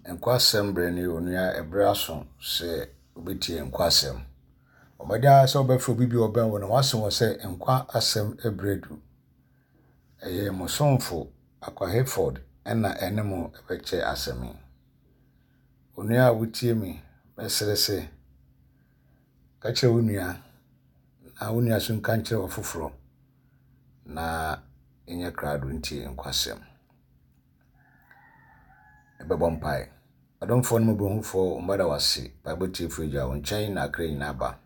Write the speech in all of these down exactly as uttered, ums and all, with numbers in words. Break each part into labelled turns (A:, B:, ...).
A: Nkwa asɛm berɛ ne onua ɛberɛ aso sɛ wobɛtie nkwa asɛm. Bɔ mmɔden ara sɛ wobɛfrɛ obi bi a ɔbɛn wo na woase wɔ sɛ nkwa asɛm berɛ du. Ɛyɛ mo somfo Akwa Hayford ɛna ɛne mo bɛkyɛ asɛm yi. Onua a wotie me, mɛsrɛ sɛ ka kyerɛ wo nua na wo nua nso nka nkyerɛ ɔfoforɔ na ɛnyɛ krado ntie nkwa asɛm. Yɛbɛbɔ mpae. Adomfoɔ ne mmɔborɔhufoɔ, mma wo ase. Mpaebɔ tiefoɔ Agya, wo nkyɛn na akra nyinaa ba.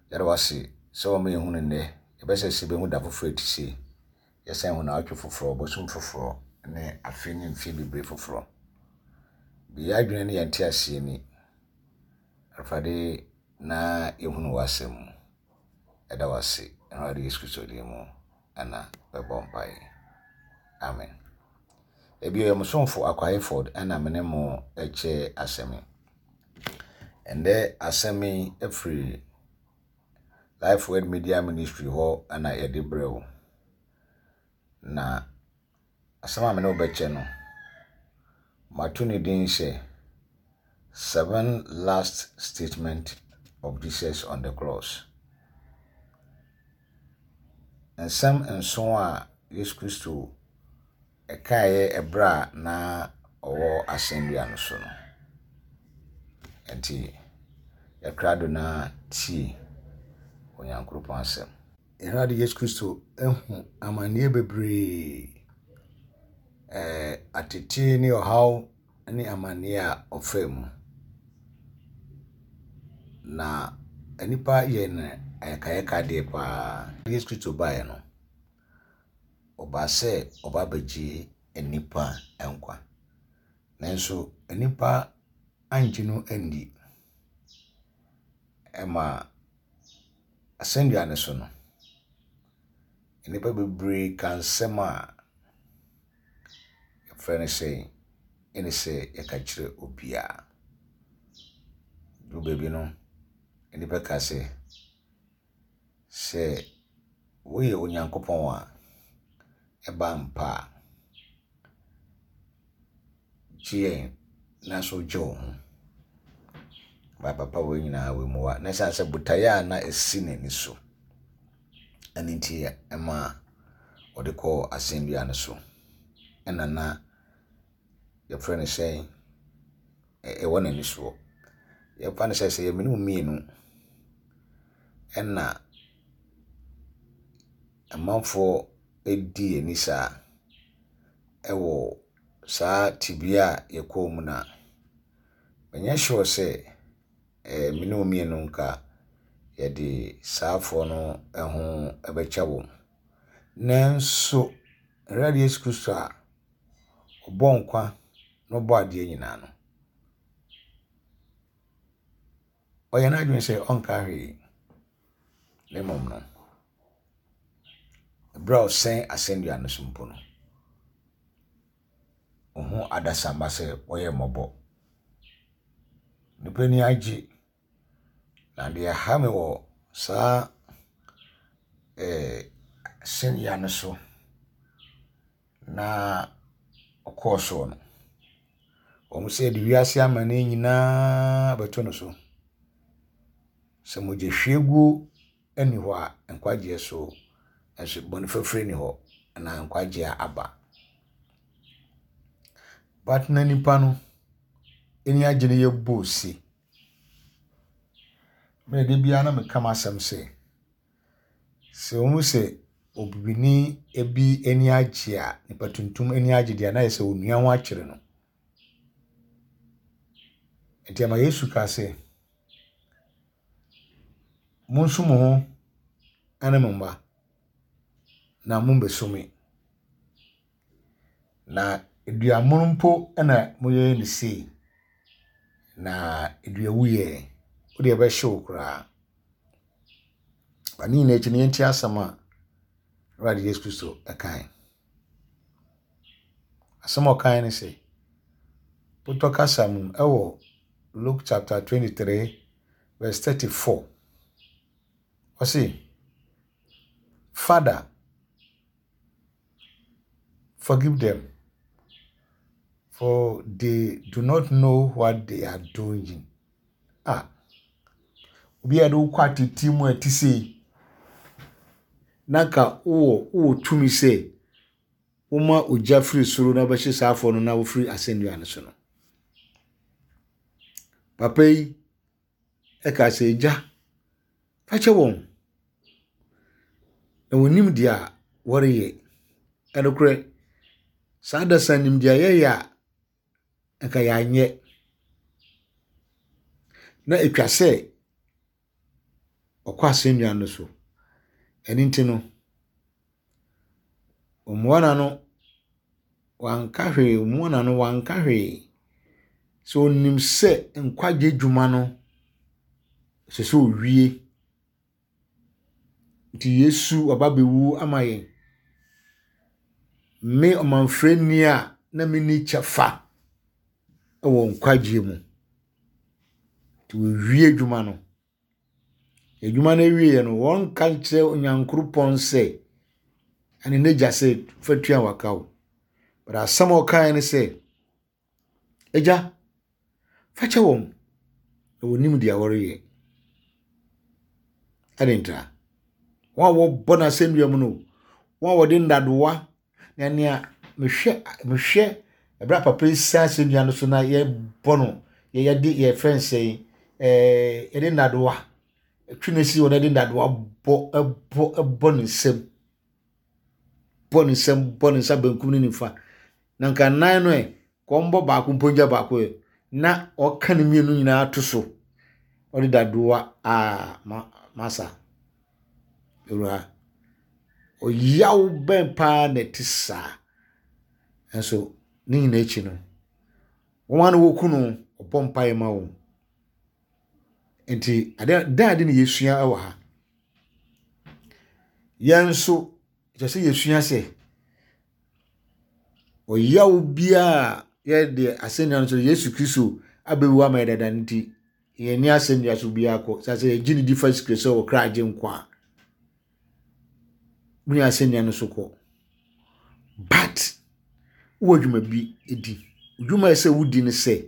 A: Yɛda wo ase sɛ wɔma yɛhu no nnɛ. Yɛbɛsɛ sɛ yɛbɛhu da foforɔ a ɛte sei. Yɛsan hu naawɔtwe foforɔ, bosom foforɔ ne afe ne mfeɛ bebree foforɔ. Bi yɛn adwene ne yɛn nteaseɛ ni. Awurade na yɛhunu w'asɛm mu. Yɛda wo ase. Awurade Yesu Kristo din mu ɛna bɛbɔ mpae. Amen. Ebio yɛ mo somfo Akwa Hayford ɛna me ne mo kyɛ asɛm yi. Ɛndɛ asɛm yi afiri Life Word Media Ministry hɔ ɛna yɛde brɛ wo. Na asɛm a me ne wo bɛkyɛ no, mato ne din sɛ Seven Last Statement of Jesus on the Cross. Nsɛm nson a Yesu Kristo ɛkaeɛ ɛberɛ a na ɔwɔ asɛnnua no so no. Nti yɛkra do na tie Onyankopɔn asɛm. Awurade Yesu Kristo ehu amanneɛ bebree, ɛɛ atete ne ɔhaw ne amanneɛ a ɔfaa mu. Na nnipa yɛ no ayakayakadeɛ paa. Yesu Kristo baeɛ no, ɔbaa sɛ ɔba abɛgye nnipa nkwa. Nanso nnipa angye no andi. Ɛma asɛnnua no so no, nnipa bebree ka nsɛm a yɛfrɛ no sɛ ɛne sɛ yɛka kyerɛ obiara. Duru baabi no, nnipa ka sɛ, sɛ woyɛ Onyankopɔn a, ɛba mpa a, gye yɛn na so gye wo ho. Ba papa wei nyinaa wɔ mu a, na ɛsiane sɛ botaeɛ a na ɛsi n'ani so ɛno nti ɛma ɔde kɔɔ asɛnnua no so. Ɛna na yɛfrɛ no sɛ ɛwɔ n'ani soɔ. Yɛmfa no sɛ sɛ yɛ me ne wo mmienu ɛna amanfoɔ di yɛn ani saa ɛwɔ saa tebea a yɛkɔɔ mu no a, menyɛ sure sɛ ɛɛ me ne wo mmienu nka yɛde saafoɔ no ho bɛkyɛ wɔn. Nanso Awurade Yesu Kristo a ɔbɔ nkwa na ɔbɔ adeɛ nyinaa no, ɔyɛ n'adwene sɛ ɔnka hwee. Na mmom no, ɛberɛ a ɔsɛn asɛnnua no so mpo no, ɔhu adasamma sɛ wɔyɛ mmɔbɔ. Nnipa ani agye. Na deɛ ɛha me wɔ saa ɛɛ asɛnnua no so na ɔkɔɔ soɔ no, wɔn sɛ yɛde wiase amanneɛ nyinaa bɛto no so. Sɛ mogyahwieguo nni hɔ a, nkwagyeɛ so nso bɔne fafiri nni hɔ anaa nkwagyeɛ aba. But na nipa no ani agye no yɛbɔ ose. Mmerɛ da biara na meka m'asɛm sɛ, sɛ wohu sɛ obibini bi ani agye a, nipa tuntum ani agye deɛ a, na ayɛ sɛ onua ho akyere no. Nti ama Yesu kaa sɛ, monsu mo ho ne mo mma na mommɛsu me. Na duamono mpo na moyɛ no sei, na dua wuyɛ, wode ɛbɛhye wo koraa. Ba ne nyinaa akyi no, yɛntie asɛm a Awurade Yesu Kristo ɛkae. Asɛm a ɔkae ne sɛ, Potɔ kasa mu ɛwɔ Luke chapter twenty-three verse thirty-four. Ɔse, Father, forgive them, for for they do not know what they are doing. Ah, obi a yɛde wo kɔ atete mu a ɛte sei, na nka wowɔ wowɔ tumi sɛ woma ogya firi soro na wobɛhye saa afɔ no na wofiri asɛnnua no so no. Papa yi ɛka sɛ, Agya, fa kyɛ wɔn, na wɔnim deɛ a wɔreyɛ. Ɛnokorɛ, saa da sa nim deɛ yɛyɛ a, nka yɛanyɛ. Na etwa sɛ ɔkɔ asɛnnua no so. Ɛno nti no, ɔmmoa n'ano, wanka hwee, ɔmmoa n'ano, wanka hwee. Sɛ onim sɛ nkwagye dwuma no, ɛsɛ sɛ owie. Nti Yesu waba abɛwu ama yɛn. Me ɔmanfrɛni a na menni kyɛfa wɔ nkwagyeɛ mu. Nti wɔwie adwuma no. Adwuma no awieɛ no, wɔnka nkyerɛ Onyankopɔn sɛ, ɛne n'agya sɛ fa tua waka o. But asɛm a ɔkaeɛ ne sɛ, Agya, fa kyɛ wɔn, na wɔnim deɛ wɔreyɛ. Ɛde ntra. Wɔn a wɔbɔ n'asɛnnua mu no, wɔn a wɔde nnadewa na nea mehwɛ mehwɛ ɛberɛ a papa yi san asɛnnua no so na yɛbɔ no, yɛde yɛfrɛ no sɛ ɛɛ yɛde nnadewa twe no si hɔ na yɛde nnadewa bɔ ɛbɔ ɛbɔ ne nsam, bɔ ne nsam, bɔ ne nsa benkum ne nifa. Na nka nan no ɛ, kɔmbɔ baako mpo ngya baako ɛ, na ɔka ne mmienu nyinaa to so. Ɔde dadoa a ma masa. Ewura, ɔyaw bɛn paa na ɛte saa. Nso ne nyinaa akyi no, wɔn a na wɔku no, ɔbɔ mpaeɛ ma wɔn. Nti ade dan ade na yɛsua wɔ ha. Yɛn nso, kyerɛ sɛ yɛsua sɛ ɔyaw biara yɛde asɛnnua no so Yesu Kristo abɛwu ama yɛ dada no nti, yɛn ni asɛnnua so biara kɔ. Sɛ sɛ yɛgye ne di fa Yesu Kristo sɛ ɔkra agye nkwa a, wone asɛnnua no so kɔ. But wowɔ adwuma bi di. Adwuma a ɛsɛ sɛ wodi ne sɛ,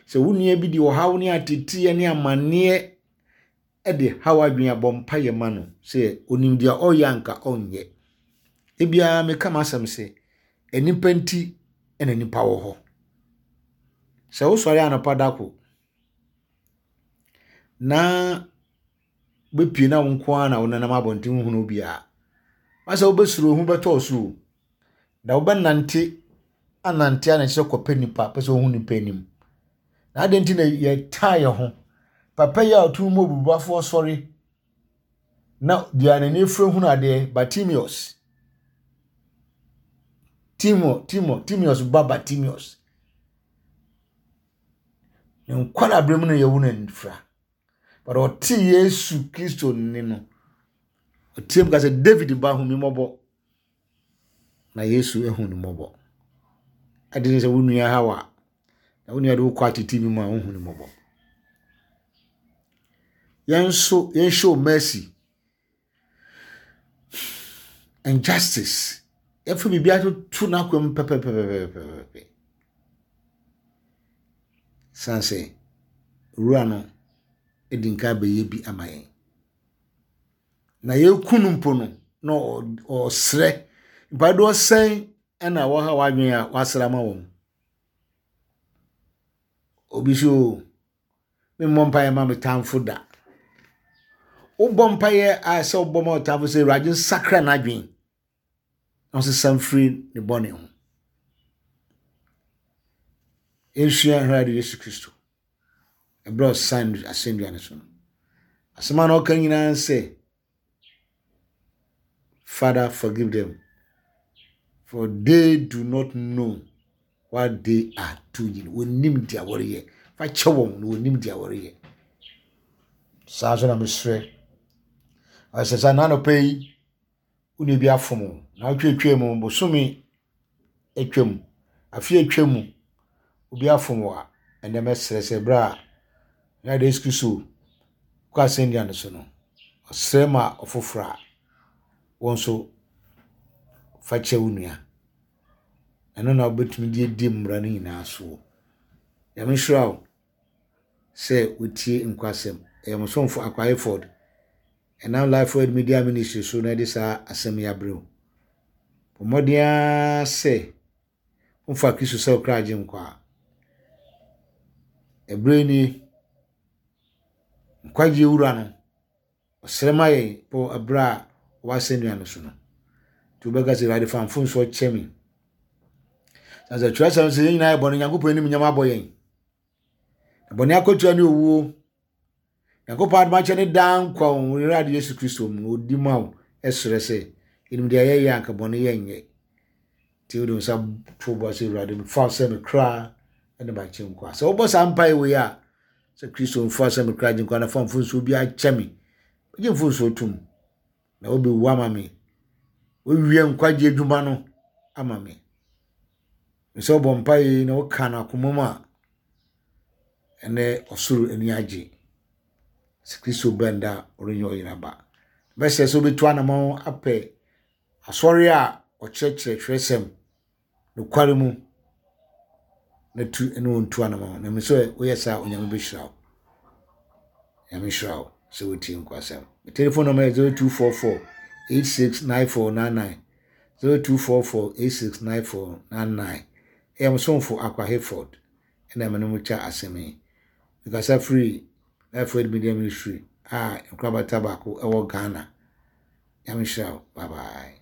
A: sɛ wo nua bi de ɔhaw ne ateteɛ ne amanneɛ de haw adwene a, bɔ mpaeɛ ma no sɛ onim deɛ ɔreyɛ anka ɔnyɛ. Ebiara meka m'asɛm sɛ, nnipa nti na nnipa wɔ hɔ. Sɛ wosɔre anɔpa da ko na wobɛpie na wo nko ara na wonenam abɔnten wohunu obiara, asɛ wobɛsuro ho bɛtɔ wo so o. Na wobɛnante anante a na kyerɛ kɔpɛ nipa, pɛ sɛ wohu nipa anim. Na adɛn nti na yɛtaa yɛn ho? Papa yi a ɔtumi mu obubuafoɔ sɔre na deɛ n'ani afura hunu adeɛ, Bartimaeus. Timo, Timo, Timaeus ba Bartimaeus. Ne nkwadaa mu no yɛwo no anifira. But ɔte Yesu Kristo nne no, ɔteɛ mu ka sɛ, David ba, hu me mmɔbɔ. Na Yesu ehu no mmɔbɔ. Ade ne sɛ wo nua haw a, na wo nua de wo kɔ atete bi mu a, wohu no mmɔbɔ. Yɛn nso, yɛn show mercy and justice. Yɛfa biribi atoto n'akwan mu pɛpɛpɛpɛpɛpɛ. San sɛ, wura no di nka bɛyɛ bi ama yɛn. Na yɛku no mpo no, na ɔsrɛ. Mpaeɛ sɛn ɛna wɔha w'adwene a wasrɛ ama wɔn. Obi so, memmɔ mpaeɛ ma me tamfo da. Wobɔ mpaeɛ a sɛ wobɔ ma wo tamfo sɛ Awurade nsakra n'adwene na ɔsesa mfiri ne bɔne ho. Yɛnsua Awurade Yesu Kristo. Ɛberɛ a ɔsan asɛnnua no so no. Asɛm a na ɔka nyinaa sɛ, Father, forgive them, for they do not know what they are doing. Wɔnim deɛ wɔreyɛ. Fa kyɛ wɔn na wɔnim deɛ wɔreyɛ. Saa nso na mesrɛ. Ɔsɛ sɛ n'anɔpa yi, wo nua bi afom wo na wotwetwe mu bosome atwam, afe atwa mu, obi afom wo a, ɛnɛ mɛsrɛ sɛ berɛ a Awurade Yesu Kristo kɔ asɛnnua no so no, ɔsrɛ ma ɔfoforɔ a, wɔn nso fa kyɛ wo nua. Ɛno na wobɛtumi de adi mmara no nyinaa soɔ. Nyame nhyira wo sɛ wotie nkwasɛm. Ɛyɛ mo somfo Akwa Hayford. Ɛnam Life Word Media Ministry so na ɛde saa asɛm yi abrɛ wo. Bɔ mmɔden ara sɛ womfa Kristo sɛ wo kra agye nkwa a. Ɛberɛ nie, nkwagye wura no, ɔsrɛ ma yɛn wɔ ɛberɛ a ɔwɔ asɛnnua no so no. Nti wobɛka sɛ, Awurade fa mfomsoɔ kyɛ me. Na sɛ twerɛsɛm sɛ yɛn nyinaa yɛ bɔne, Nyankopɔn anim nyam abɔ yɛn. Na bɔne akatua ne owuo. Nyankopɔn adom akyɛ ne daa nkwa wɔ Awurade Yesu Kristo mu. Ɔdi ma wo ɛsrɛ sɛ, yɛnim deɛ yɛyɛ anka bɔne yɛnyɛ. Nti wode wo nsa to bɔ sɛ Awurade mfa wo sɛ me kra ne m'agye nkwa. Sɛ wobɔ saa mpae wei a, sɛ Kristo mfa wo sɛ me kra gye nkwa na fa mfomsoɔ bi akyɛ me. Gye mfomsoɔ tom. Na wobɛwu ama me. Wowie nkwagye adwuma no ama me. Sɛ wobɔ mpae yi na woka no akoma mu a, ɛnɛ ɔsoro ani agye. Sɛ Kristo bɛn da a, ɔrenyɛ ɔyera ba. Bɛsɛ sɛ wobɛtu anammɔn apɛ asɔre a ɔkyerɛkyerɛ twerɛsɛm nokware mu na tu ne wɔn tu anammɔn. Na mesɛ woyɛ saa Onyame bɛhyira wo. Nyame nhyira wo sɛ wotie nkwasɛm. Me telephone number yɛ zero two four four eight six nine four nine nine zero two four four eight six nine four nine nine. Ɛyɛ mo somfo Akwa Hayford ɛna me ne mo kyɛ asɛm yi. Mekasa firi Life Word Media Ministry a nkorabata baako ɛwɔ Ghana. Nyame nhyira wo. Bye bye.